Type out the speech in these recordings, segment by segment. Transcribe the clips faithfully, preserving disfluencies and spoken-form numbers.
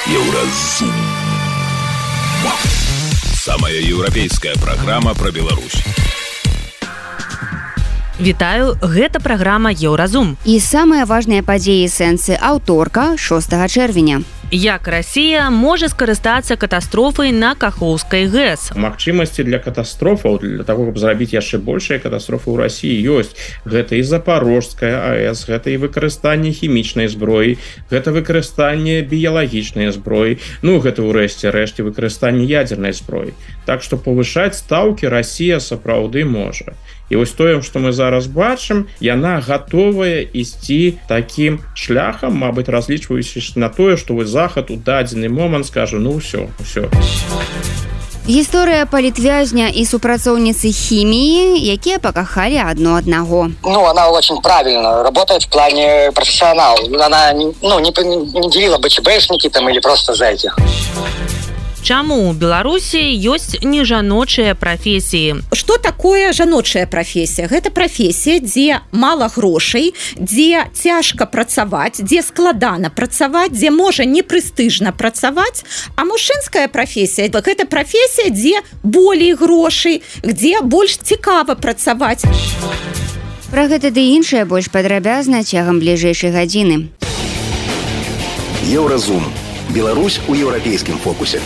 Еўразум. Самая еўрапейская праграма пра Беларусь. Вітаю, гэта праграма Еўразум. І самыя важныя падзеі сэнсы аўторка шостага чэрвеня. Як Расія можа скарыстацца катастрофай на Кахоўскай ГЭС? Магчымасці для катастрофаў, для таго, каб зрабіць яшчэ большыя катастрофы ў Расіі ёсць. Гэта і Запорожская АЭС, гэта і выкарыстанне хімічнай зброі, гэта выкарыстанне біялагічнай зброі, ну гэта ўрэшце рэшце выкарыстанне ядзернай зброі. Так што павышаць стаўкі Расія сапраўды можа. І вось тое, што мы зараз бачым, яна гатовая ісці такім шляхам, мабыць, разлічваючись на тое, што вось Захад у дадзены момант скажа, ну ўсё, ўсё. Гісторыя палітвязня і супрацоўніцы хіміі, якія пакахалі адно аднаго. Ну, она очень правильно работает в плане профессионал. Она ну, не, не делила БЧБшники там или просто зэки. Чаму ў Беларусі ёсць нежаночыя прафесіі? Што такое жаночая прафесія? Гэта прафесія, дзе мала грошай, дзе цяжка працаваць, дзе складана працаваць, дзе можа непрэстыжна працаваць, а мужчынская прафесія гэта прафесія, дзе болей грошай, дзе больш цікава працаваць. Пра гэта ды іншае больш падрабязна цягам бліжэйшай гадзіны. Еўразум. Беларусь у еўрапейскім фокусе.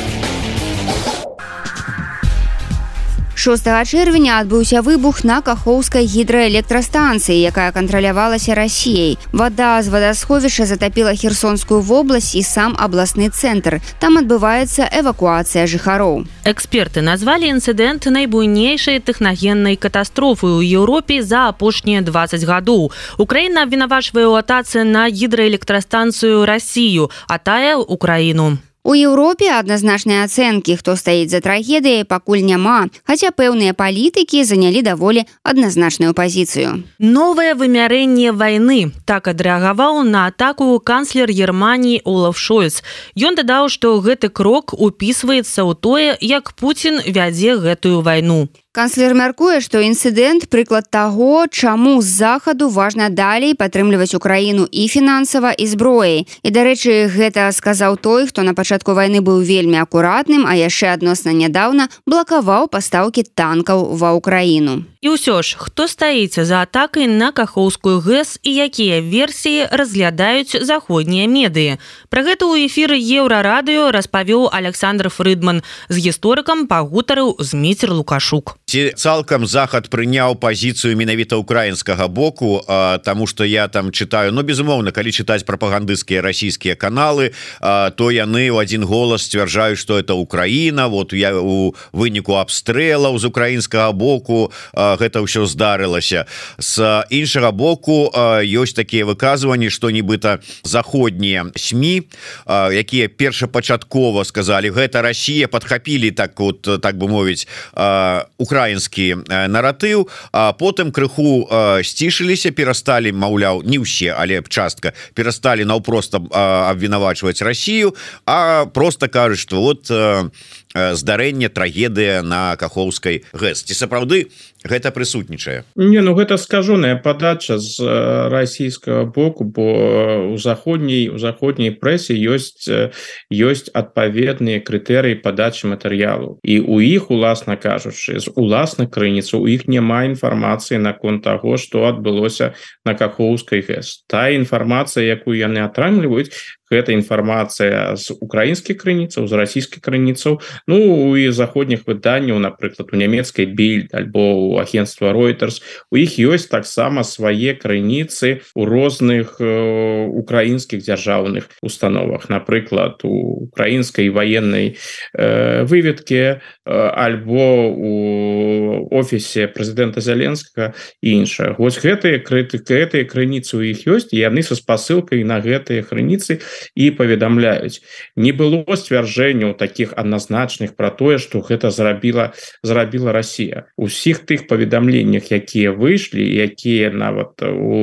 шостага чэрвеня адбыўся выбух на Кахоўскай гідраэлектрастанцыі, якая кантралявалася Расіяй. Вада з вадасховішча затапіла Херсонскую вобласць і сам абласны цэнтр. Там адбываецца эвакуацыя жыхароў. Эксперты назвалі інцыдэнт найбуйнейшай тэхнагеннай катастрофай у Еўропе за апошнія дваццаць гадоў. Украіна абвінавачвае ў атацы на гідраэлектрастанцыю Расію, а тая – Украіну. У Еўропе адназначныя ацэнкі, хто стаіць за трагедыяй, пакуль няма, хаця пэўныя палітыкі занялі даволі адназначную пазіцыю. Новае вымярэнне вайны. Так адрэагаваў на атаку канцлер Германіі Олаф Шольц. Ён дадаў, што гэты крок упісваецца ў тое, як Пуцін вядзе гэтую вайну. Канцлер мяркуе, што інцыдэнт прыклад таго, чаму з захаду важна далей падтрымліваць Украіну і фінансава, і зброяй. І, дарэчы, гэта сказаў той, хто на пачатку вайны быў вельмі акуратным, а яшчэ адносна нядаўна блакаваў пастаўкі танкаў ва Украіну. І ўсё ж, хто стаіць за атакай на Кахоўскую ГЭС і якія версіі разглядаюць заходнія медыі? Пра гэта ў эфіры Еўрарадыё распавёў Александр Фрыдман. З гісторыкам пагутарыў Зміцер Лукашук. Ці цалкам Захад прыняў пазіцыю менавіта украінскага боку, а, таму што я там чытаю, ну безумоўна, калі чытаць прапагандысцкія расійскія каналы, а, то яны ў адзін голас сцвярджаюць, што это Украіна, вот я у выніку абстрэлаў з украінскага боку а, гэта ўсё здарылася. З іншага боку а, ёсць такія выказванні, што нібыта заходнія СМІ, а, якія першапачаткова сказалі, гэта Расія, падхапілі так вот, так бы мовіць, а, украінскі наратыў, а потым крыху сцішыліся, перасталі, маўляў, не ўсе, але частка перасталі наўпрост абвінавачваць Расію, а просто кажуць, што вот здарэнне, трагедыя на Кахоўскай ГЭС. Ці сапраўды гэта прысутнічае? Не, ну гэта скажоная падача з расійскага боку, бо у заходняй у заходняй прэсе ёсць ёсць адпаведныя крытэрыі падачы матэрыялу. І у іх, уласна кажучы, з уласных крыніц у іх няма інфармацыі наконт таго, што адбылося на Кахоўскай ГЭС. Тая інфармацыя, якую яны атрымліваюць, гэта інфармацыя з украінскіх крыніцаў, з расійскіх крыніцаў, ну і заходніх выданняў, напрыклад, у нямецкай Більд альбо у агентства Reuters. У іх ёсць таксама свае крыніцы у розных э, украінскіх дзяржаўных установах, напрыклад, у украінскай ваеннай э, выведкі э, альбо у офісе прэзідэнта Зеленскага і іншае. Вось гэтыя гэтыя крыніцы у іх ёсць, і яны са спасылкай на гэтыя крыніцы і паведамляюць. Не было сцвярджэнняў такіх адназначных пра тое, што гэта зрабіла зрабіла Расія. Усіх тых паведамленнях, якія выйшлі, якія нават у,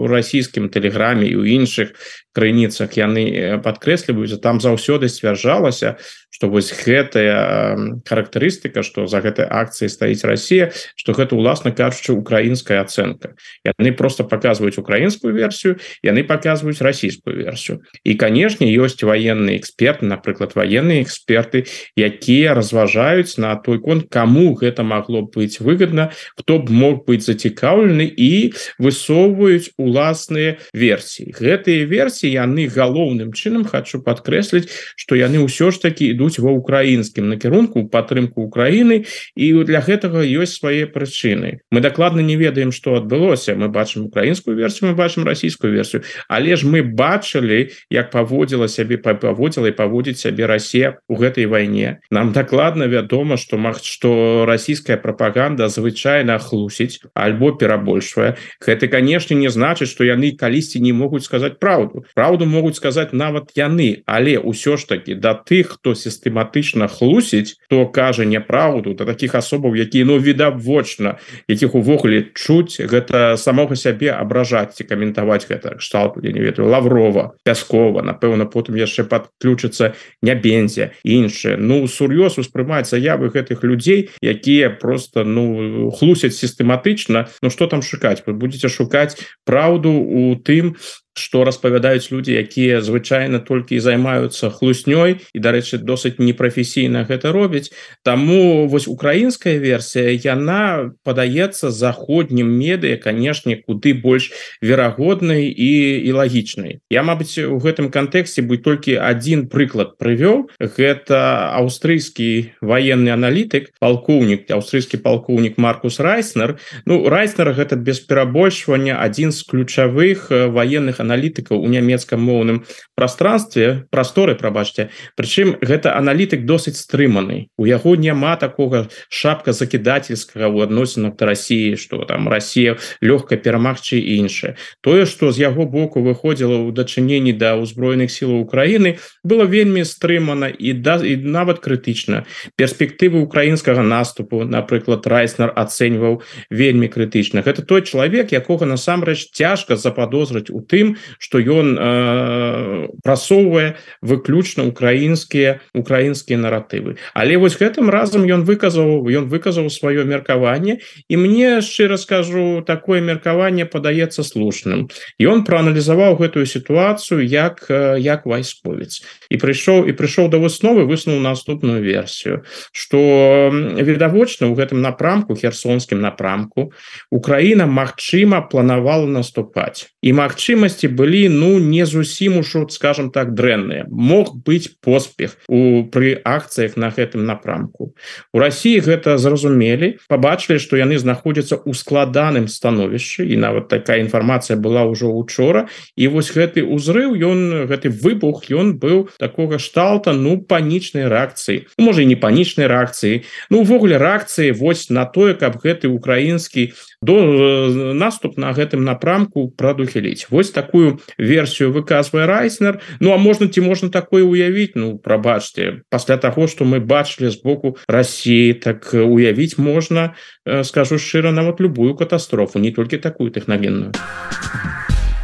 у расійскім тэлеграме і ў іншых крыніцах яны падкрэсліваюць, там заўсёды сцвярджалася, что вось гэтая характарыстыка, что за гэтай акцыяй стаіць Россия, что гэта уласна кажучы украінская ацэнка. Яны просто показваюць украінскую версію, яны показваюць расійскую версію. І канешне ёсць военные эксперты, напрыклад военные эксперты, якія разважаюць на той конт, кому гэта могло быць выгодно, хто б мог быць зацікаўлены, і высоўваюць уласныя версіі. Гэтыя версіі яны галоўным чынам, хочу падкрэсліць, што яны ўсё ж таки ідуць ва украінскім накірунку, падтрымку Украіны, і для гэтага ёсць свае прычыны. Мы дакладна не ведаем, што адбылося. Мы бачым украінскую версію, мы бачым расійскую версію, але ж мы бачылі, як паводзіла сябе паводзіла і паводзіць сябе Расія ў гэтай вайне. Нам дакладна вядома, што маг што расійская прапаганда звычайна хлусіць альбо перабольшвае. Гэта, канешне, не значыць, што яны калісьці не могуць сказаць праўду. Праўду могуць сказаць нават яны, але ўсё ж таки да тых, хто сістэматычна хлусіць, хто кажа няправду, да такіх асобаў, якія ну відавочна, якіх увогуле чуць, гэта самога сябе абражаць ці каментаваць гэта кшталту, я не ведаю, Лаврова, Пяскова, напэўна, потым яшчэ падключыцца Нябензя, іншыя. Ну, сур'ёз успрымаць заявы гэтых людзей, якія просто ну хлусяць сістэматычна. Ну што там шукаць? Вы будете шукаць праўду у тым, што распавядаюць людзі, якія звычайна толькі і займаюцца хлуснёй, і, дарэчы, досыць непрафесійна гэта робяць. Таму вось украінская версія, яна падаецца заходнім медыя, канешне, куды больш верагоднай і, і лагічнай. Я, мабыць, у гэтым кантэксце бы толькі адзін прыклад прывёў. Гэта аўстрыйскі ваенны аналітык, палкоўнік, аўстрыйскі палкоўнік Маркус Райснер. Ну, Райснер гэта без перабольшвання адзін з ключавых ваенных аналітыкаў у нямецкам моўным пространстве, прасторы, прабачце. Прычым гэта аналітык досыць стрыманы. У яго няма такога шапка закідательскага ў адносінах да Расіі, што там Расія лёгка перамагчы і іншае. Тое, што з яго боку выходзіла ў дачыненні да ўзброеных сілаў Украіны, было вельмі стрымана і, да, і нават крытычна. Перспектывы украінскага наступу, напрыклад, Райснер ацэньваў вельмі крытычна. Гэта той чалавек, якога насамрэч цяжка западозрыць у тым, што ён э, прасоўвае выключна украінскія украінскія наратывы. Але вось гэтым разам ён выказаў ён выказаў сваё меркаванне, і мне, шчыра скажу, такое меркаванне падаецца слушным. Ён прааналізаваў гэтую сітуацыю як як вайсковец і прыйшоў і прыйшоў да высновы, высунуў наступную версію, што відавочна ў гэтым напрамку, херсонскім напрамку, Украіна магчыма планавала наступаць, і магчымасці былі ну не зусім ужо, скажем так, дрэнныя. Мог быць поспех у пры акцыях на гэтым напрамку. У Расіі гэта зразумелі, пабачылі, што яны знаходзяцца ў складаным становішчы, і нават такая інфармацыя была ўжо учора, і вось гэты ўзрыў, ён гэты выбух, ён быў такога шталта, ну панічнай рэакцыі, ну, можа і не панічнай рэакцыі, ну увогуле рэакцыі вось на тое, каб гэты украінскі до наступ на гэтым напрамку прадухіліць. Вось такую версію выказвае Райснер. Ну а можна ці можна такое уявіць? Ну прабачце, пасля таго, што мы бачылі з боку Расіі, так уявіць можна, скажу шчыра, нават любую катастрофу, не толькі такую тэхнагенную.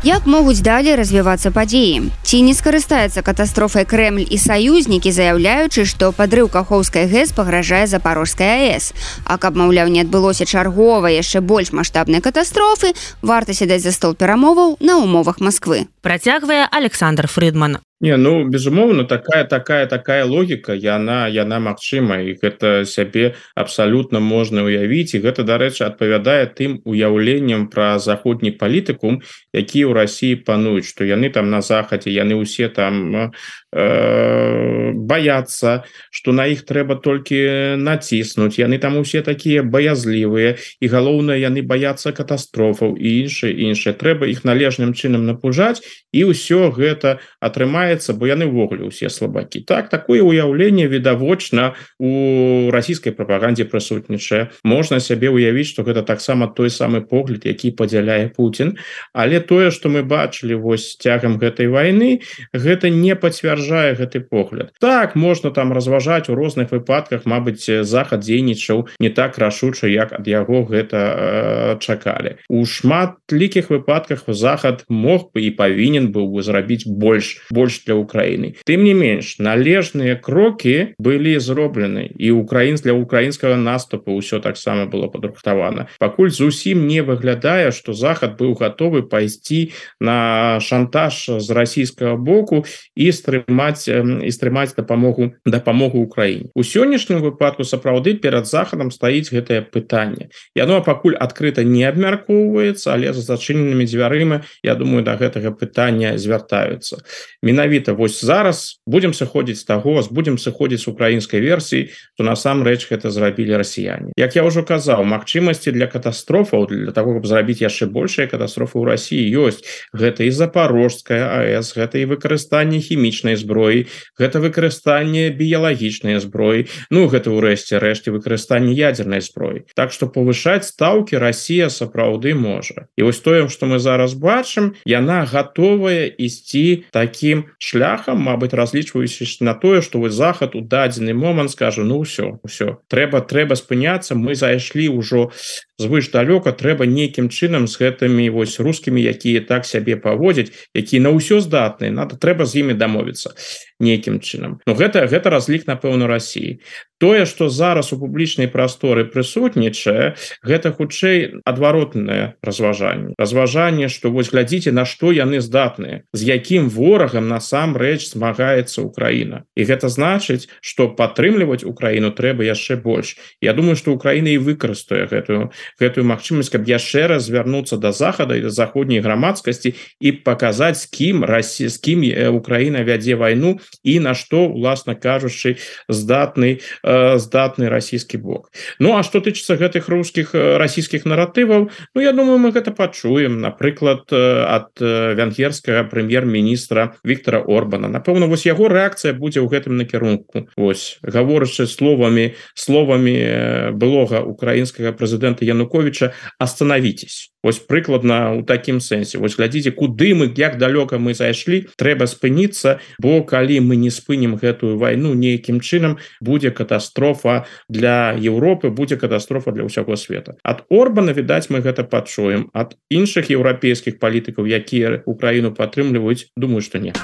Як могуць далей развівацца падзеі? Ці не скарыстаецца катастрофай Крэмль і саюзнікі, заяўляючы, што падрыў Кахоўскай ГЭС пагражае Запорожскай АЭС. А каб, маўляў, не адбылося чарговай, яшчэ больш маштабнай катастрофы, варта сядаць за стол перамоваў на умовах Масквы. Працягвае Александр Фрыдман. Не, ну безумоўна, такая такая такая логіка, яна яна магчыма, і гэта сябе абсалютна можна уявіць, і гэта, дарэчы, адпавядае тым уяўленням пра заходні палітыкум, які ў Расіі пануюць, што яны там на захадзе, яны ўсе там э, баяцца, што на іх трэба толькі націснуць, яны там усе такія баязлівыя, і галоўнае, яны баяцца катастрофаў і іншае іншае. Трэба іх належным чынам напужаць, і ўсё гэта атрымаецца, бо яны ўвогуле ўсе слабакі. Так, такое ўяўленне відавочна у расійскай прапагандзе прысутнічае. Можна сябе ўявіць, што гэта таксама той самы погляд, які падзяляе Пуцін, але тое, што мы бачылі вось цягам гэтай вайны, гэта не пацвярджае гэты погляд. Так, можна там разважаць у розных выпадках, мабыць, захад дзейнічаў не так рашуча, як ад яго гэта э, чакалі. У шматлікіх выпадках захад мог бы і павінен быў бы зрабіць больш больш больш для Украіны. Тым не менш, належныя крокі былі зроблены, і украінц для украінскага наступу ўсё таксама было падрыхтавана. Пакуль зусім не выглядае, што Захад быў гатовы пайсці на шантаж з расійскага боку і стрымаць і стрымаць дапамогу дапамогу Украіне. У сённяшнім выпадку сапраўды перад Захадам стаіць гэтае пытанне. Яно пакуль адкрыта не абмяркоўваецца, але за зачыненымі дзвярыма, я думаю, да гэтага пытання звяртаюцца. Менавіта вось зараз будзем сыходзіць з таго, будзем сыходзіць з украінскай версіі, што насамрэч гэта зрабілі расіяне. Як я ўжо казаў, магчымасці для катастрофаў, для таго, каб зрабіць яшчэ большыя катастрофы ў Расіі ёсць. Гэта і Запорожская АЭС, гэта і выкарыстанне хімічнай зброі, гэта выкарыстанне біялагічнай зброі, ну гэта ўрэшце рэшце выкарыстанне ядзернай зброі. Так што павышаць стаўкі Расія сапраўды можа. І вось тое, што мы зараз бачым, яна гатовая ісці такім шляхам, мабыць, разлічваючы на тое, што вось Захад у дадзены момант скажа: ну ўсё, ўсё, трэба трэба спыняцца, мы зайшлі ўжо звыш далёка, трэба нейкім чынам з гэтымі вось рускімі, якія так сябе паводзяць, якія на ўсё здатныя, надо трэба з імі дамовіцца нейкім чынам. Ну гэта гэта разлік, напэўна, Расіі. Тое, што зараз у публічнай прасторы прысутнічае, гэта хутчэй адваротнае разважанне. Разважанне, што вось глядзіце, на што яны здатныя, з якім ворагам насамрэч змагаецца Украіна. І гэта значыць, што падтрымліваць Украіну трэба яшчэ больш. Я думаю, што Украіна і выкарыстае гэтую гэтую магчымасць, каб яшчэ раз звярнуцца да Захада і да заходняй грамадскасці і паказаць, з кім Расія, з кім Украіна вядзе вайну і на што, уласна кажучы, здатны здатны расійскі бок. Ну а што тычыцца гэтых рускіх расійскіх наратываў, ну я думаю, мы гэта пачуем, напрыклад, ад венгерскага прэм'ер-міністра Віктора Орбана. Напэўна, вось яго рэакцыя будзе ў гэтым накірунку. Вось, гаворачы словамі словамі былога украінскага прэзідэнта Януковіча: остановитесь. Вось прыкладна ў такім сэнсе. Вось глядзіце, куды мы, як далёка мы зайшлі, трэба спыніцца, бо калі мы не спынім гэтую вайну нейкім чынам, будзе катастрофа для Еўропы, будзе катастрофа для ўсяго света. Ад Орбана, відаць, мы гэта пачуем. Ад іншых еўрапейскіх палітыкаў, якія Украіну падтрымліваюць, думаю, што не.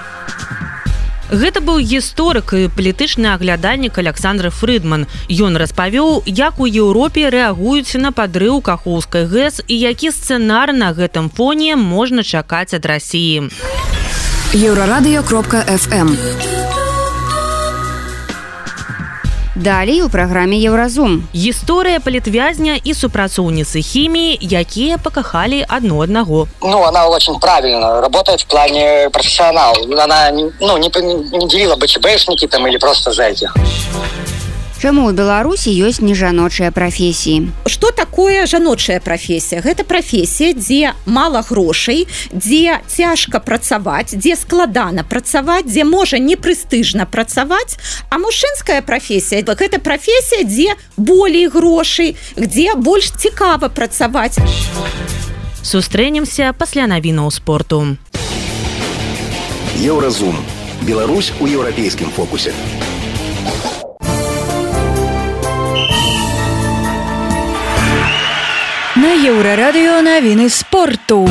Гэта быў гісторык і палітычны аглядальнік Александр Фрыдман. Ён распавёў, як у Еўропе рэагуюць на падрыў Кахоўскай ГЭС і які сцэнар на гэтым фоне можна чакаць ад Расіі. еўрарадыё кропка эф эм. Далей у праграме Еўразум. Гісторыя палітвязня і супрацоўніцы хіміі, якія пакахалі адно аднаго. Ну, она очень правильно работает в плане профессионал. Она ну, не, не делила БЧБшники там или просто за этих. Чаму ў Беларусі ёсць нежаночыя прафесіі? Што такое жаночая прафесія? Гэта прафесія, дзе мала грошай, дзе цяжка працаваць, дзе складана працаваць, дзе можа непрэстыжна працаваць, а мужчынская прафесія гэта прафесія, дзе болей грошай, дзе больш цікава працаваць. Сустрэнемся пасля навінаў спорту. Еўразум. Беларусь у еўрапейскім фокусе. На Еўрарадыё навіны спорту.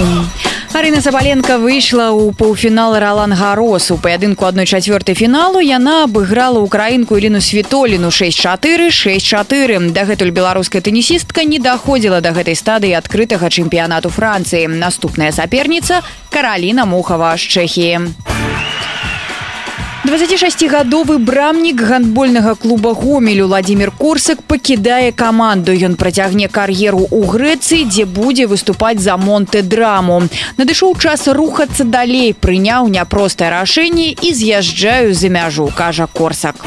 Арына Сабаленко выйшла ў паўфінал Ролан-Гарос. У паядынку адной чацвёртай фіналу яна абыграла украінку Ірыну Світоліну шэсць чатыры шэсць чатыры. Дагэтуль беларуская тэнісістка не даходзіла да гэтай стадыі адкрытага чэмпіянату Францыі. Наступная саперніца Караліна Мухава з Чэхіі. дваццацішасцігадовы брамнік гандбольнага клуба Гомель Владзімір Корсак пакідае каманду. Ён працягне кар'еру ў Грэцыі, дзе будзе выступаць за Монтэ-Драму. Надышоў час рухацца далей, прыняў няпростае рашэнне і з'язджаю за мяжу, кажа Корсак.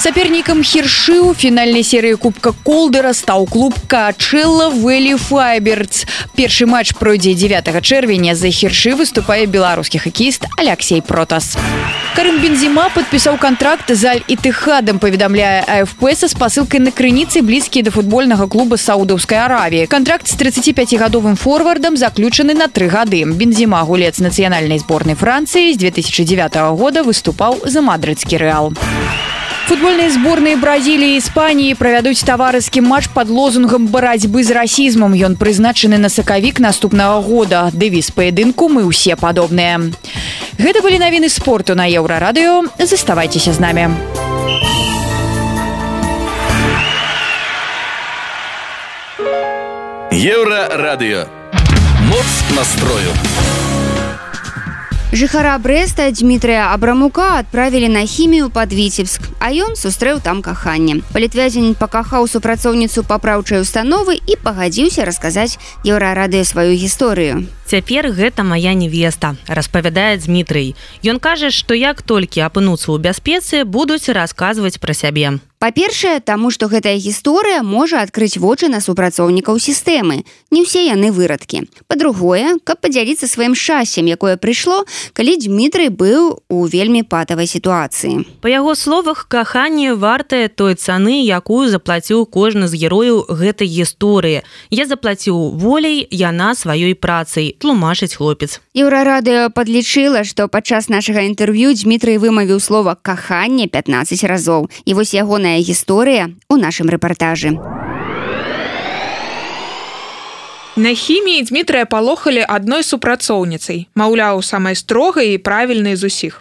Сапернікам Хіршы ў фінальнай серыі Кубка Колдера стаў клуб Каачэлла Вэлі Файбердс. Першы матч пройдзе дзевятага чэрвеня. За Хіршы выступае беларускі хакеіст Аляксей Протас. Карым Бензема падпісаў кантракт з Аль-Ітыхадам, паведамляе А Эф Пэ са спасылкай на крыніцы, блізкія да футбольнага клуба Саудаўскай Аравіі. Кантракт з трыццаціпяцігадовым форвардам заключаны на тры гады. Бензема, гулец нацыянальнай зборнай Францыі, з две тысячы дзевятага года выступаў за мадрыдскі Рэал. Футбольные сборные Бразилии и Испании правядуць таварыскі матч под лозунгом барацьбы з расізмам. Ён прызначаны на сакавік наступнага года. Дэвіз паядынку «Мы ўсе падобныя». Гэта былі навіны спорту на Еўрарадыё. Заставайцеся з намі. Еўрарадыё. Моц настрою. Жыхара Брэста Дмітрыя Абрамука адправілі на хімію пад Віцебск, а ён сустрэў там каханне. Палітвязень пакахаў супрацоўніцу папраўчай установы і пагадзіўся расказаць Еўрарадыё сваю гісторыю. Цяпер гэта моя невеста, распавядае Дмітрый. Ён кажа, што як толькі апынуцца ў бяспецы, будуць расказваць пра сябе. Па-першае, таму што гэтая гісторыя можа адкрыць вочы на супрацоўнікаў сістэмы. Не ўсе яны вырадкі. Па-другое, каб падзяліцца сваім шчасцем, якое прыйшло, калі Дмітрый быў у вельмі патавай сітуацыі. Па яго словах, каханне вартае той цаны, якую заплаціў кожны з герояў гэтай гісторыі. Я заплаціў воляй, яна сваёй працай, тлумачыць хлопец. Еўрарадыё падлічыла, што падчас нашага інтэрв'ю Дмітрый вымавіў слова «каханне» пятнаццаць разоў. І вось ягоная гісторыя у нашым рэпартажы. На хіміі Дмітрыя палохалі адной супрацоўніцай, маўляў, самай строгай і правільнай з усіх.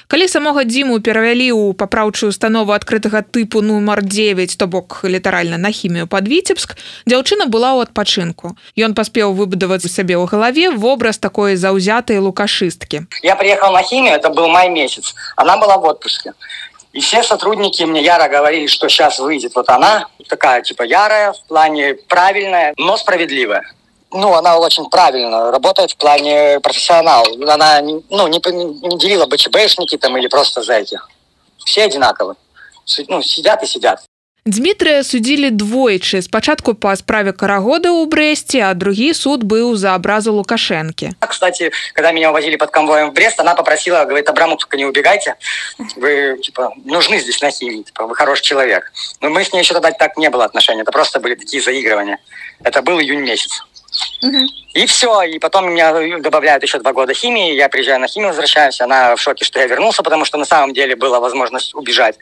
Калі самога Дзіму перавялі ў папраўчую установу адкрытага тыпу нумар дзевяць, то бок літаральна на хімію пад Віцебск, дзяўчына была ў адпачынку. Ён паспеў выбудаваць сабе ў галаве вобраз такой заўзятай лукашысткі. Я приехал на химию, это был май месяц. Она была в отпуске. И все сотрудники мне яро говорили, что сейчас выйдет вот она, такая типа ярая, в плане правильная, но справедливая. Ну, она очень правильно работает в плане профессионал. Она ну, не, не делила БЧБшники там или просто зэки. Все одинаковы. Ну, сидят и сидят. Дмітрыя судзілі двойчы. Спачатку па справе Карагода ў Брэсце, а другі суд быў за абразу Лукашэнкі. Кстати, когда меня увозили под конвоем в Брест, она попросила, говорит, Абрамов, только не убегайте. Вы, типа, нужны здесь на химии, типа, вы хороший человек. Но мы с ней еще тогда так не было отношений. Это просто были такие заигрывания. Это был июнь месяц. Угу. И все, и потом меня добавляют еще два года химии, я приезжаю на химию, возвращаюсь, она в шоке, что я вернулся, потому что на самом деле была возможность убежать.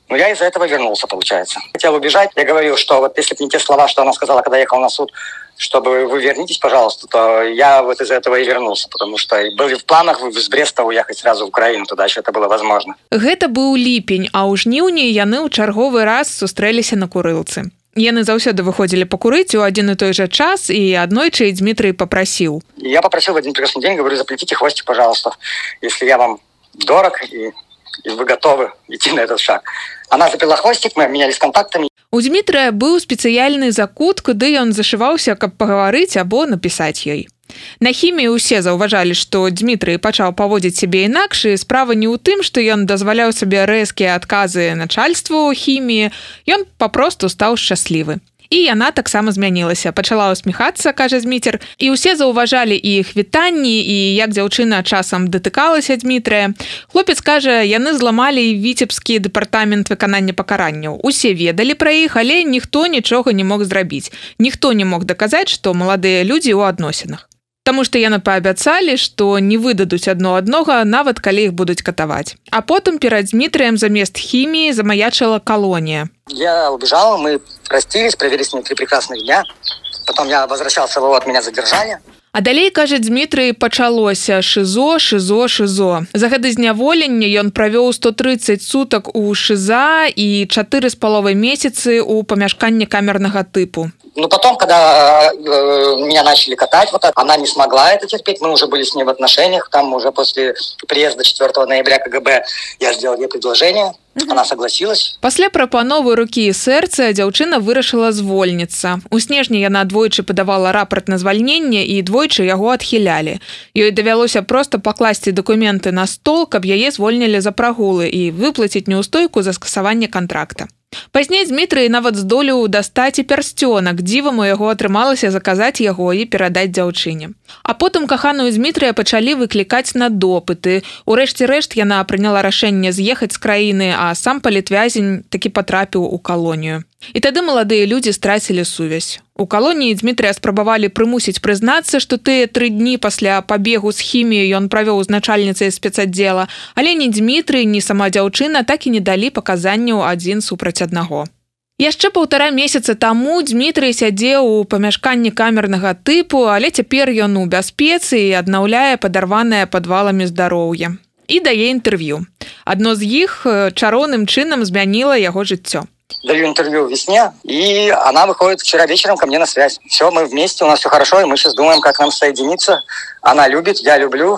Но я из-за этого вернулся, получается. Хотел убежать, я говорил, что вот если бы не те слова, что она сказала, когда ехал на суд, чтобы вы вернитесь, пожалуйста, то я вот из-за этого и вернулся, потому что были в планах с Бреста уехать сразу в Украину, туда еще это было возможно. Гэта быў ліпень, а ў жніўні яны ў чарговы раз сустрэліся на курылцы. Яны заўсёды выходзілі пакурыць у адзін і той жа час, і аднойчы Дмітрый папрасіў. Я попросил в один прекрасный день, говорю, заплетите хвостик, пожалуйста, если я вам дорог и, и вы готовы идти на этот шаг. Она заплела хвостик, мы обменялись контактами. У Дмітрая быў спецыяльны закут, куды ён зашываўся, каб пагаварыць або напісаць ёй. На хіміі ўсе заўважалі, што Дмітрый пачаў паводзіць сябе інакш, і справа не ў тым, што ён дазваляў сабе рэзкія адказы начальству хіміі, ён папросту стаў шчаслівы. І яна таксама змянілася, пачала усміхацца, кажа Зміцер, і ўсе заўважалі і іх вітанні, і як дзяўчына часам датыкалася Дмітрыя. Хлопец кажа, яны зламалі Віцебскі дэпартамент выканання пакаранняў. Усе ведалі пра іх, але ніхто нічога не мог зрабіць. Ніхто не мог даказаць, што маладыя людзі ў адносінах. Таму што яны паабяцалі, што не выдадуць адно аднога, нават калі іх будуць катаваць. А потым перад Дмітрыем замест хіміі замаячыла калонія. Я убежал, мы простились, провели с ней три прекрасных дня. Потом я возвращался, вот меня задержали. А далей, кажа Дмітрый, пачалося шызо, шызо, шызо. За гады зняволення ён правёў сто трыццаць сутак у шыза і чатыры з паловай месяцы ў памяшканні камернага тыпу. Ну, потом, когда э, меня начали катать, вот так, она не смогла это терпеть, мы уже были с ней в отношениях, там уже после приезда четвёртого ноября КГБ я сделал ей предложение, mm-hmm. Она согласилась. Пасля прапановы рукі і сэрца дзяўчына вырашыла звольніцца. У снежні яна двойчы падавала рапарт на звальненне і двойчы яго адхілялі. Ёй давялося проста пакласці дакументы на стол, каб яе звольнілі за прагулы і выплаціць неўстойку за скасаванне кантракта. Пазней Дмітрый нават здолеў дастаць і пярсцёнак, дзівам у яго атрымалася заказаць яго і перадаць дзяўчыне. А потым каханую Дмітрыя пачалі выклікаць на допыты. Урэшце рэшт яна прыняла рашэнне з'ехаць з краіны, а сам палітвязень такі патрапіў у калонію. І тады маладыя людзі страцілі сувязь. У калоніі Дмітрыя спрабавалі прымусіць прызнацца, што тыя тры дні пасля пабегу з хіміяй ён правёў з начальніцай спецаддзела, але ні Дмітрый, ні сама дзяўчына так і не далі паказанняў адзін супраць аднаго. Яшчэ паўтара месяца таму Дмітрый сядзеў у памяшканні камернага тыпу, але цяпер ён у бяспецы і аднаўляе падарванае падваламі здароўе. І дае інтэрв'ю. Адно з іх чароўным чынам змяніла яго жыццё. Даю интервью весне, и она выходит вчера вечером ко мне на связь. Все, мы вместе, у нас все хорошо, и мы сейчас думаем, как нам соединиться. Она любит, я люблю,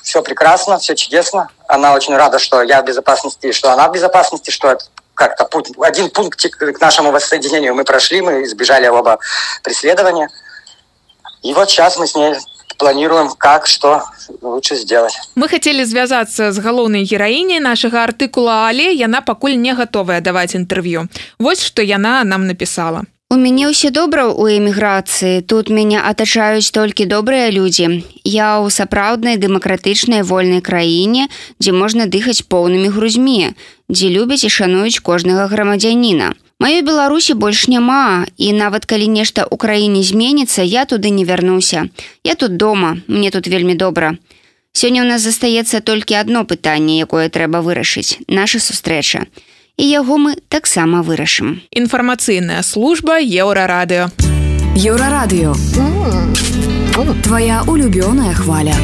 все прекрасно, все чудесно. Она очень рада, что я в безопасности, что она в безопасности, что это как-то путь, один пунктик к нашему воссоединению мы прошли, мы избежали оба преследования. И вот сейчас мы с ней планируем, как, что лучше сделать. Мы хотели звязаться с галоўнай гераіней нашага артыкула, але яна пакуль не гатовая даваць інтэрв'ю. Вось што яна нам напісала. У мяне ўсё добра ў эміграцыі. Тут мяне атачаюць толькі добрыя людзі. Я ў сапраўднай дэмакратычнай вольнай краіне, дзе можна дыхаць поўнымі грузьмі, дзе любяць і шануюць кожнага грамадзяніна. Маёй Беларусі больш няма, і нават калі нешта ў краіне зменіцца, я туды не вярнуся. Я тут дома, мне тут вельмі добра. Сёння ў нас застаецца толькі адно пытанне, якое трэба вырашыць – наша сустрэча. І яго мы таксама вырашым. Інфармацыйная служба Еўрарадыё. Еўрарадыё. Твоя улюбёная хваля.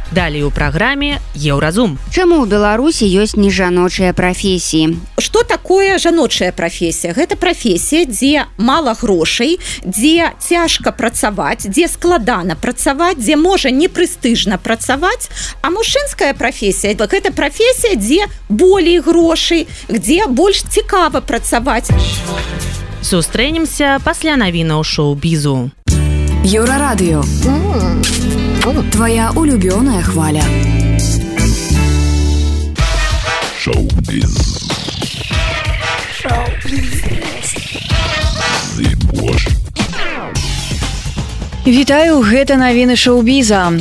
Далее у праграме Еўразум. Чаму ў Беларусі ёсць нежаночыя прафесіі? Што такое жаночая прафесія? Гэта прафесія, дзе мала грошай, дзе цяжка працаваць, дзе складана працаваць, дзе можа непрэстыжна працаваць, а мужчынская прафесія – гэта прафесія, дзе болей грошай, дзе больш цікава працаваць. Сустрэнемся пасля навінаў шоу-бізу. Еўрарадыё. Твоя улюбёная хваля. Шоу-біз. Вітаю, гэта навіны шоу-біза.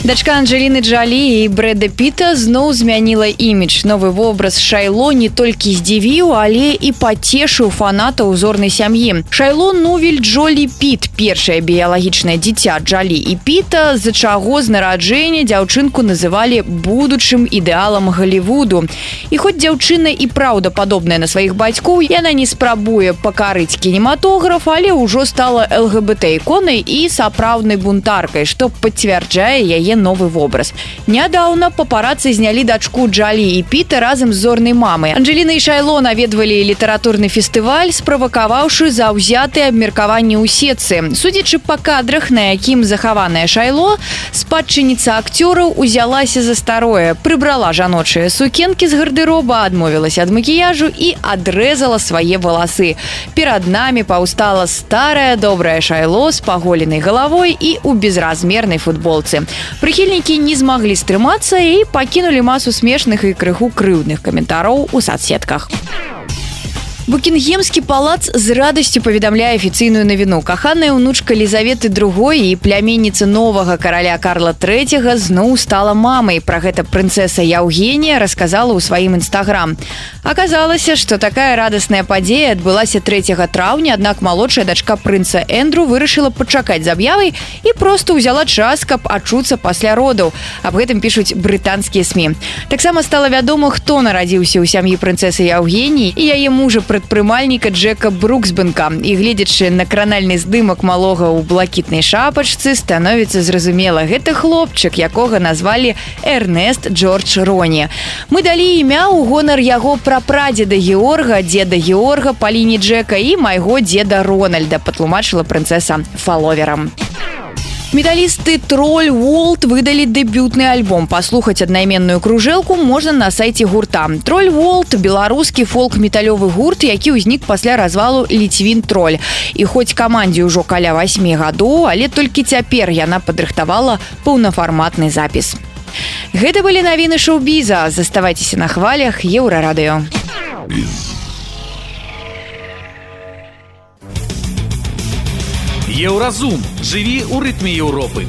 Дачка Анджеліны Джолі і Брэда Піта зноў змяніла імідж. Новы вобраз Шайло не толькі здзівіў, але і пацешыў фанатаў зорнай сям'і. Шайло Нувель Джолі Піт, першае біялагічнае дзіця Джолі і Піта, з-за чаго з нараджэння дзяўчынку называлі будучым ідэалам Галівуду. І хоць дзяўчына і праўда падобная на сваіх бацькоў, яна не спрабуе пакарыць кінематограф, але ўжо стала эл гэ бэ тэ-іконай і сапраўднай бунтаркай, што пацвярджае яе новы вобраз. Нядаўна папарацы знялі дачку Джолі і Піта разам з зорнай мамай. Анджеліна і Шайло наведвалі літаратурны фестываль, справакаваўшы заўзятыя абмеркаванні ў сетцы. Судзячы па кадрах, на якім захаваная Шайло, спадчыніца акцёраў узялася за старое, прыбрала жаночыя сукенкі з гардыроба, адмовілася ад макіяжу і адрэзала свае валасы. Перад намі паўстала старая добрая Шайло з паголенай галавой і ў безразмернай футболцы. Прыхільнікі не змаглі стрымацца і пакінулі масу смешных і крыху крыўдных каментараў у сацсетках. Букінгемскі палац з радасцю паведамляе афіцыйную навіну. Каханая ўнучка Лізаветы другой і пляменніца новага караля Карла трэцяга зноў стала мамай. Пра гэта прынцэса Яўгенія расказала ў сваім інстаграм. Аказалася, што такая радасная падзея адбылася трэцяга траўня, аднак малодшая дачка прынца Эндру вырашыла пачакаць з аб'явай і проста ўзяла час, каб ачуцца пасля родаў. Аб гэтым пішуць брытанскія СМІ. Таксама стала вядома, хто нарадзіўся ў сям'і прынцэсы Яўгеніі і яе мужа прадпрымальніка Джека Бруксбенка. І гледзячы на кранальны здымак малога ў блакітнай шапачцы, становіцца зразумела, гэта хлопчык, якога назвалі Эрнест Джордж Роні. Мы далі імя ў гонар яго прапрадзеда Георга, дзеда Георга па лініі Джека і майго дзеда Рональда, патлумачыла прынцэса фаловерам. Металісты Троль Волт выдалі дэбютны альбом. Паслухаць аднайменную кружэлку можна на сайце гурта. Троль Волт – беларускі фолк-металёвы гурт, які ўзнік пасля развалу Ліцвін Троль. І хоць камандзе ўжо каля васьмі гадоў, але толькі цяпер яна падрыхтавала паўнафарматны запіс. Гэта былі навіны шоу-біза. Заставайцеся на хвалях Еўрарадыё. Еўразум. Жыві ў рытме Еўропы.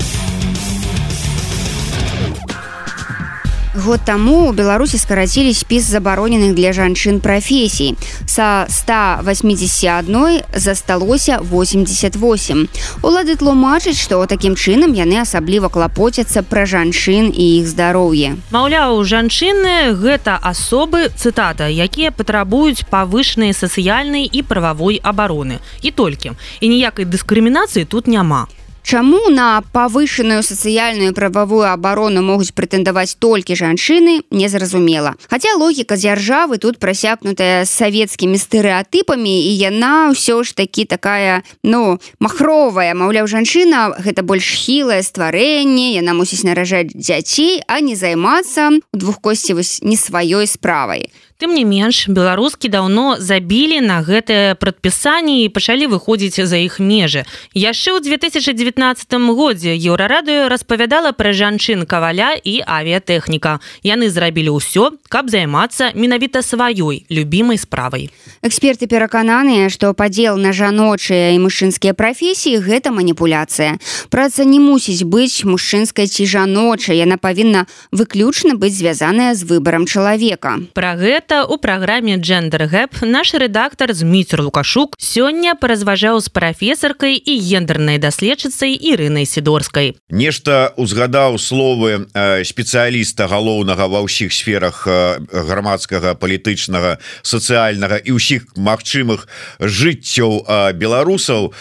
Год таму у Беларусі скарацілі спіс забароненых для жанчын прафесій. Са ста восьмидесяти одной засталося восемьдесят восемь. Улады тлумачаць, што такім чынам яны асабліва клапоцяцца пра жанчын і іх здароўе. Маўляў, жанчыны гэта асобы, цытата, якія патрабуюць павышанай сацыяльнай і прававой абароны. І толькі. І ніякай дыскрымінацыі тут няма. Чаму на павышаную сацыяльную прававую абарону могуць прэтэндаваць толькі жанчыны, незразумела. Хаця логіка дзяржавы тут прасякнутая савецкімі стэрэатыпамі, і яна ўсё ж такі такая, ну, махровая. Маўляў, жанчына гэта больш хілае стварэнне, яна мусіць наражаць дзяцей, а не займацца у двухкосці вось не сваёй справай. Тым не менш, беларускі даўно забілі на гэтае прадпісанне і пачалі выходзіць за іх межы. Яшчэ ў две тысячи девятнадцатым годзе Еўрарадыё распавядала пра жанчын каваля і авіятэхніка. Яны зрабілі ўсё, каб займацца менавіта сваёй любімай справай. Эксперты перакананыя, што падзел на жаночыя і мужчынскія прафесіі гэта маніпуляцыя. Праца не мусіць быць мужчынскай ці жаночай, яна павінна выключна быць звязаная з выбарам чалавека. Пра гэта у праграме Gender Gap наш рэдактар Зміцер Лукашук сёння паразважаў з прафесаркай і гендернай даследчыцай Ірынай Сідорскай. Нешта узгадаў словы спецыяліста галоўнага ва ўсіх сферах грамадскага, палітычнага, сацыяльнага і ўсіх магчымых жыццёў беларусаў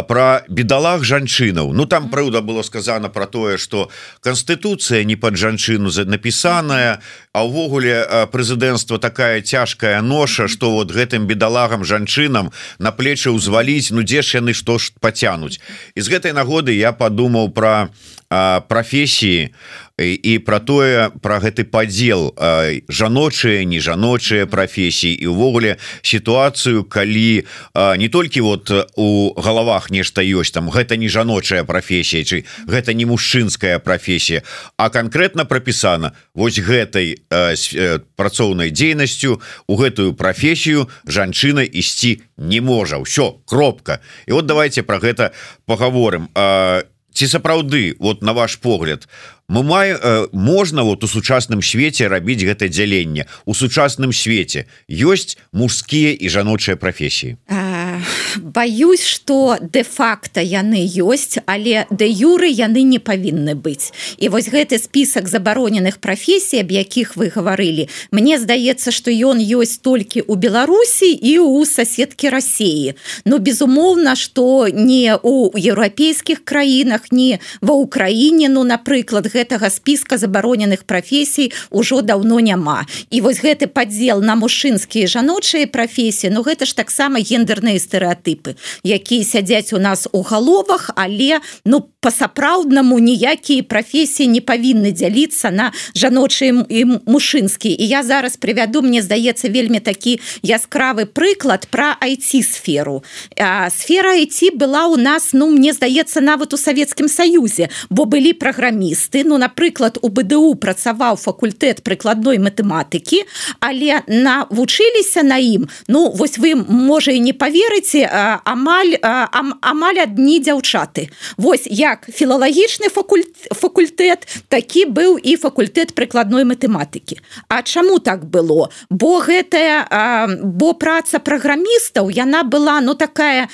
пра бедалах жанчынаў. Ну там праўда было сказано пра тое, што канстытуцыя не пад жанчыну напісаная, а ўвогуле прэзідэнцтва такая цяжкая ноша, што вот гэтым бедалагам жанчынам на плечы ўзваліць, ну дзе ж яны што ж пацянуць. І з гэтай нагоды я падумаў пра прафесіі і пра тое, пра гэты падзел жаночыя, нежаночыя прафесіі і ўвогуле сітуацыю, калі не толькі вот у галавах нешта ёсць, там гэта не жаночая прафесія, ці гэта не мужчынская прафесія, а канкрэтна прапісана вось гэтай працоўнай дзейнасцю у гэтую прафесію жанчына ісці не можа. Ўсё, кропка. І вот давайте пра гэта паговорым. Ці сапраўды, вот на ваш погляд, мы маем, можна вот у сучасным свеце рабіць гэта дзяленне? У сучасным свеце ёсць мужскія і жаночыя прафесіі? Баюсь, што де-факта яны ёсць, але де-юры яны не павінны быць. І вось гэты спісак забароненых прафесій, аб якіх вы гаварылі, мне здаецца, што ён ёсць толькі ў Беларусі і ў соседкі Расіі. Ну, безумоўна, што не ў еўрапейскіх краінах, не ва Ўкраіне, ну, напрыклад, гэтага спіска забароненых прафесій ужо даўно няма. І вось гэты падзел на мужчынскія і жаночыя прафесіі, ну, гэта ж таксама гендерныя стэрэатыпы, якія сядзяць у нас у галовах, але ну па-сапраўднаму ніякія прафесіі не павінны дзяліцца на жаночыя і мужчынскія. І я зараз прывяду, мне здаецца, вельмі такі яскравы прыклад пра ай ти-сферу. Сфера ай ти была у нас, ну, мне здаецца, нават у Савецкім Саюзе, бо былі праграмісты, ну, напрыклад, у бэ дэ у працаваў факультэт прыкладной матэматыкі, але навучыліся на ім, ну, вось вы, можа, і не паверыце, амаль, амаль адні дзяўчаты. Вось як філалагічны факультэт, такі быў і факультэт прыкладной матэматыкі. А чаму так было? Бо гэтая, бо праца праграмістаў, яна была, ну, такая,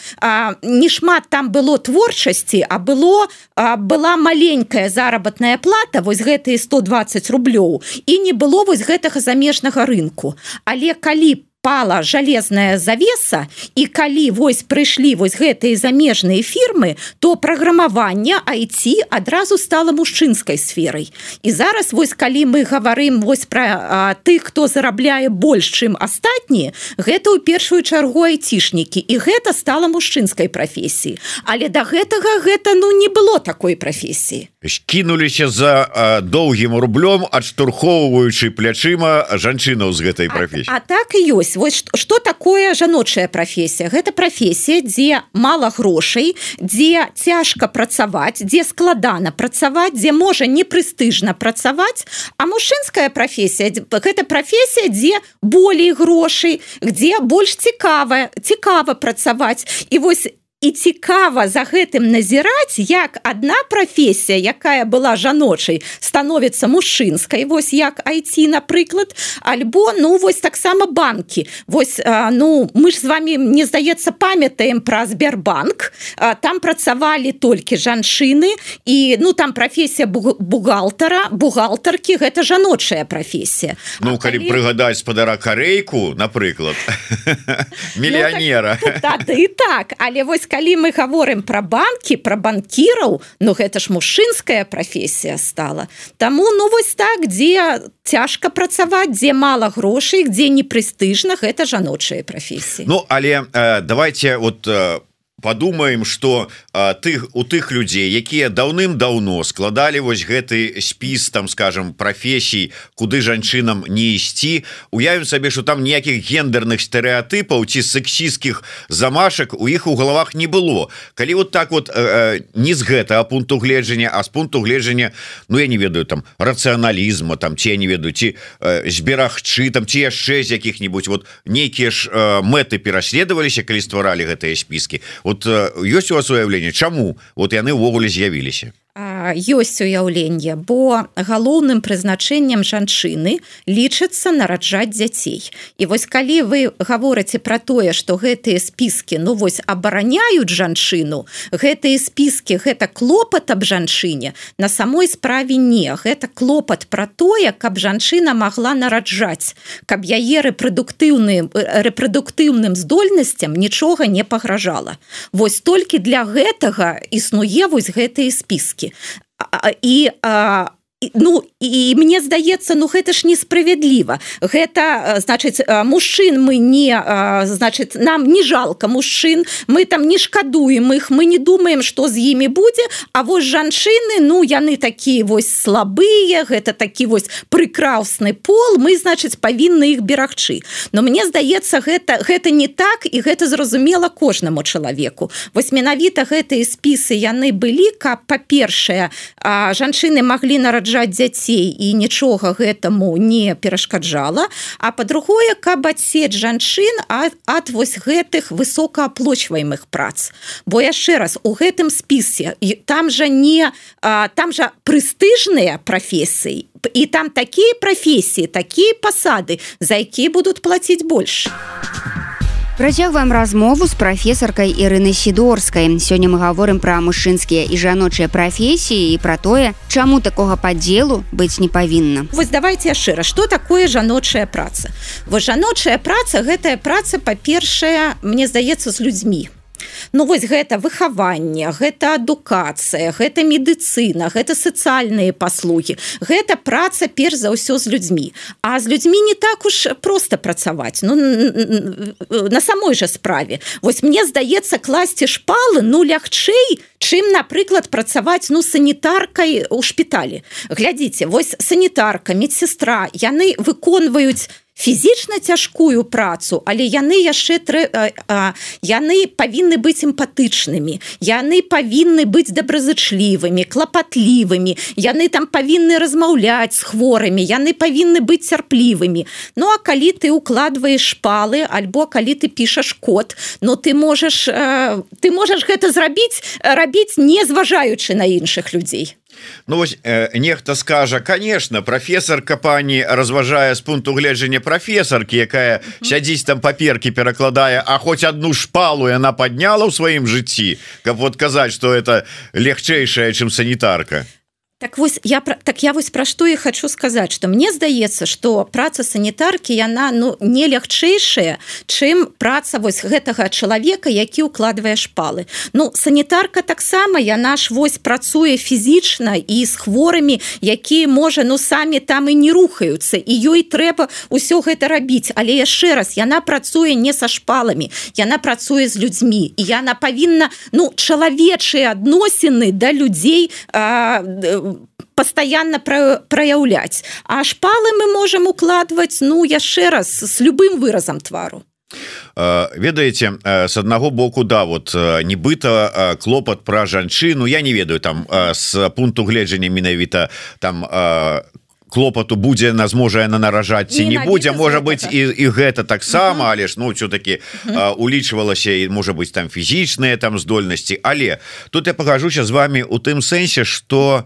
не шмат там было творчасці, а было, была маленькая заработная плата, вось гэтыя сто двадцать рублёў, і не было вось гэтага замежнага рынку. Але калі пала жалезная завеса, і калі вось прыйшлі вось гэтыя замежныя фірмы, то праграмаванне ай ти адразу стала мужчынскай сферай. І зараз вось калі мы гаварым вось пра тых, хто зарабляе больш, чым астатнія, гэта ў першую чаргу айцішнікі, і гэта стала мужчынскай прафесіяй. Але да гэтага гэта ну не было такой прафесіі. Кінуліся за а, доўгім рублём, адштурхоўваючы плячыма жанчынаў з гэтай прафесіі. А, а так і ёсць. Вось што такое жаночая прафесія? Гэта прафесія, дзе мала грошай, дзе цяжка працаваць, дзе складана працаваць, дзе можа непрэстыжна працаваць, а мужчынская прафесія гэта прафесія, дзе болей грошай, дзе больш цікава, цікава працаваць. І вось і цікава за гэтым назіраць, як адна прафесія, якая была жаночай, становіцца мужчынскай, вось як ай ти, напрыклад, альбо ну вось таксама банкі. Вось ну мы ж з вами, мне здаецца, памятаем пра Сбербанк, там працавалі толькі жанчыны, і ну там прафесія бухгалтара, бухгалтаркі гэта жаночая прафесія. Ну калі калі... прыгадаць спадара Карейку, напрыклад, мільянера. Ну, так, тады і так, але вось калі мы говорим про банки, про банкиров, ну гэта ж мужчынская профессия стала. Таму ну вось так, где цяжка працаваць, где мало грошей, где непрестижна, гэта жаночая профессия. Ну але э, давайте вот э, подумаем, что э, тых у тых людзей, якія даўным-даўно складалі вось гэты спіс, там скажем, профессий, куды жанчынам не ісці, уявім сабе, что там ніякіх гендерных стэрэатыпаў ці сексістскіх замашак у іх у галавах не было. Калі вот так вот э, не з гэтага пункту гледжання, а з пункту гледжання, ну я не ведаю, там рацыяналізма, там ці я не ведаю, ці э, зберагчы, там ці яшчэ з якіх-нибудь вот нейкія ж э, мэты пераследаваліся, калі стваралі гэтыя спіскі. Вот ёсць у вас уяўленне, чаму вот яны ўвогуле з'явіліся? Ёсць уяўленне, бо галоўным прызначэннем жанчыны лічыцца нараджаць дзяцей. І вось калі вы гаворыце пра тое, што гэтыя спіскі ну вось абараняюць жанчыну, гэтыя спіскі гэта клопат аб жанчыне, на самой справе не, гэта клопат пра тое, каб жанчына магла нараджаць, каб яе рэпрадуктыўным рэпрадуктыўным здольнасцям нічога не пагражала. Вось толькі для гэтага існуе вось гэтыя спіскі. І а, ну і мне здаецца, ну гэта ж несправядліва. Гэта значыць мужчын мы не значыць нам не жалко мужчын, мы там не шкадуем іх, мы не думаем, што з імі будзе, а вось жанчыны, ну яны такія вось слабыя, гэта такі вось прыкрасны пол, мы значыць павінны іх берагчы. Но мне здаецца, гэта гэта не так, і гэта зразумела кожнаму чалавеку. Вось менавіта гэтыя спісы яны былі, каб па-першае жанчыны маглі нараджаць дзяцей і нічога гэтаму не перашкаджала, а па-другое, каб адсець жанчын ад, ад вось гэтых высокааплочваемых прац. Бо яшчэ раз, у гэтым спісе там жа не там жа прэстыжныя прафесіі, і там такія прафесіі, такія пасады, за якія будуць плаціць больш. Працягваем размову з прафесаркай Ірынай Сідорскай. Сёння мы гаворым пра мужчынскія і жаночыя прафесіі і пра тое, чаму такога падзелу быць не павінна. Вось давайте яшчэ раз, што такое жаночая праца? Вось жаночая праца, гэтая праца, па-першае, мне здаецца, з людзьмі. Ну вось гэта выхаванне, гэта адукацыя, гэта медыцына, гэта сацыяльныя паслугі. Гэта праца перш за ўсё з людзьмі. А з людзьмі не так уж проста працаваць. Ну на самой жа справе. Вось мне здаецца, класці шпалы ну лягчэй, чым, напрыклад, працаваць ну санітаркай у шпіталі. Глядзіце, вось санітарка, медсестра, яны выконваюць фізічна цяжкую працу, але яны яшчэ трэ... яны павінны быць эмпатычнымі, яны павінны быць добразычлівымі, клапатлівымі, яны там павінны размаўляць з хворымі, яны павінны быць цярплівымі. Ну а калі ты укладваеш шпалы, альбо калі ты пішаш код, ну ты можаш ты можаш гэта зрабіць, рабіць не зважаючы на іншых людзей. Ну вось э, нехта скажа, конечно, прафесарка пані разважае з пункту гледжання прафесаркі, якая сядзіць там паперкі перакладае, а хоць одну шпалу яна падняла ў сваім жыцці, каб вот казаць, што это лягчэйшая, чым санітарка. Так вось я так я вось пра што і хочу сказаць, што мне здаецца, што праца санітаркі яна ну не лягчэйшая, чым праца вось гэтага чалавека, які ўкладвае шпалы. Ну санітарка таксама яна ж вось працуе фізічна і з хворымі, якія можа ну самі там і не рухаюцца, і ёй трэба ўсё гэта рабіць, але яшчэ раз яна працуе не са шпаламі, яна працуе з людзьмі, і яна павінна ну чалавечыя адносіны да людзей а, пастаянна праяўляць. А шпалы мы можам укладваць ну яшчэ раз з любым выразам твару. Ведаеце, с аднаго боку да вот нібыта клопат пра жанчыну, я не ведаю там з пункту гледжання менавіта там клопату будзе на зможа яна наражаць ці не будзе можа быць і, і гэта таксама uh -huh. але ж ну все-таки uh -huh. улічвалася і можа быць там фізічныя там здольнасці але тут я пагажуся з вами у тым сэнсе что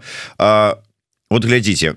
вот глядзіце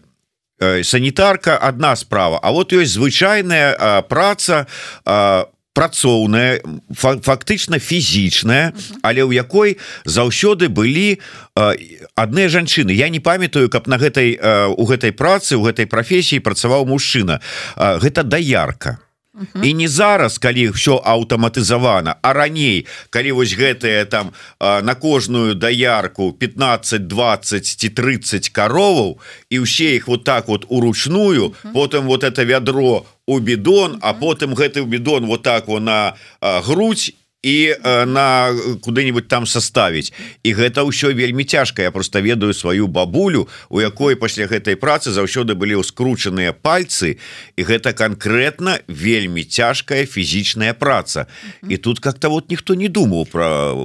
санітарка одна справа а вот ёсць звычайная праца а, працоўная фактычна фізічная але ў якой заўсёды былі адныя жанчыны я не памятаю каб на гэтай у гэтай працы у гэтай прафесіі працаваў мужчына гэта даярка Uh-huh. І не зараз, калі ўсё аўтаматызавана, а раней, калі вось гэтыя там на кожную даярку пятнадцать, двадцать ці тридцать кароваў і ўсе іх вот так вот уручную, uh-huh. потым вот это вядро у бідон, uh-huh. а потым гэты бідон вот так вот на грудь і на куды-нибудь там составіць і гэта ўсё вельмі цяжка я просто ведаю сваю бабулю у якой пасля гэтай працы заўсёды былі ўскручаныя пальцы і гэта конкретно вельмі цяжкая фізічная праца і тут как-то вот ніхто не думаў про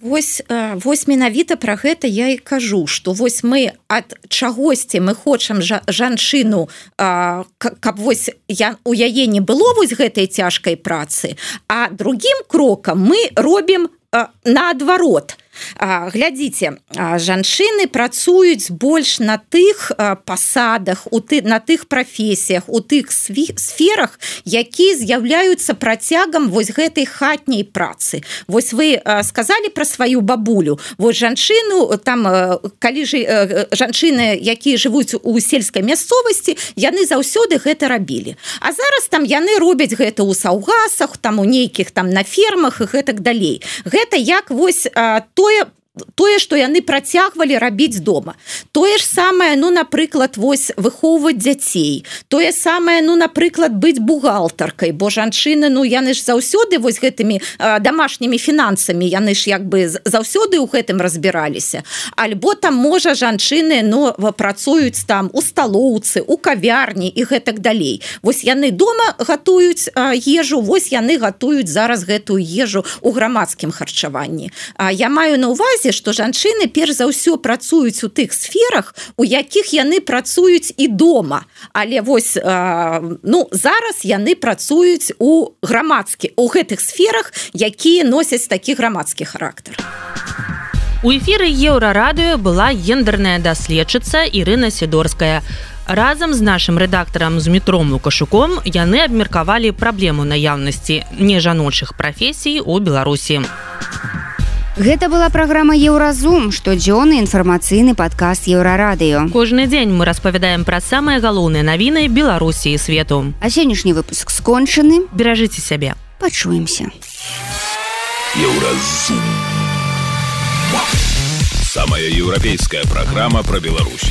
Вось, вось менавіта пра гэта я і кажу, што вось мы ад чагосьці мы хочам жа, жанчыну, а, каб вось я, у яе не было вось гэтай цяжкай працы, а другім крокам мы робім а, наадварот. А, глядзіце, а, жанчыны працуюць больш на тых а, пасадах, у ты, на тых прафесіях, у тых сферах, якія з'яўляюцца працягам вось гэтай хатняй працы. Вось вы а, сказалі пра сваю бабулю. Вось жанчыну, там, а, калі ж, а, жанчыны, якія жывуць у сельскай мясцовасці, яны заўсёды гэта рабілі. А зараз там яны робяць гэта ў саўгасах, там у нейкіх там на фермах і гэтак далей. Гэта як вось а, тое тое, што яны працягвалі рабіць дома. Тое ж самае, ну, напрыклад, вось выхоўваць дзяцей. Тое самае, ну, напрыклад, быць бухгалтаркай, бо жанчыны, ну, яны ж заўсёды вось гэтымі а, дамашнімі фінансамі, яны ж як бы заўсёды ў гэтым разбіраліся. Альбо там, можа, жанчыны, ну, працуюць там у сталоўцы, у кавярні і гэтак далей. Вось яны дома гатуюць а, ежу, вось яны гатуюць зараз гэтую ежу ў грамадскім харчаванні. А, я маю на ўвазе, што жанчыны перш за ўсё працуюць у тых сферах, у якіх яны працуюць і дома. Але вось э, ну, зараз яны працуюць у грамадскі, у гэтых сферах, якія носяць такі грамадскі характар. У эфіры Еўрарадыё была гендерная даследчыца Ірына Сідорская. Разам з нашым рэдактарам Змітром Лукашуком яны абмеркавалі праблему наяўнасці нежаночых прафесій у Беларусі. Гэта была праграма Еўразум, штодзённы інфармацыйны падкаст Еўрарадыё. Кожны дзень мы распавядаем пра самыя галоўныя навіны Беларусі і свету. А сённяшні выпуск скончаны. Беражыце сябе. Пачуемся. Еўразум. Самая еўрапейская праграма пра Беларусь.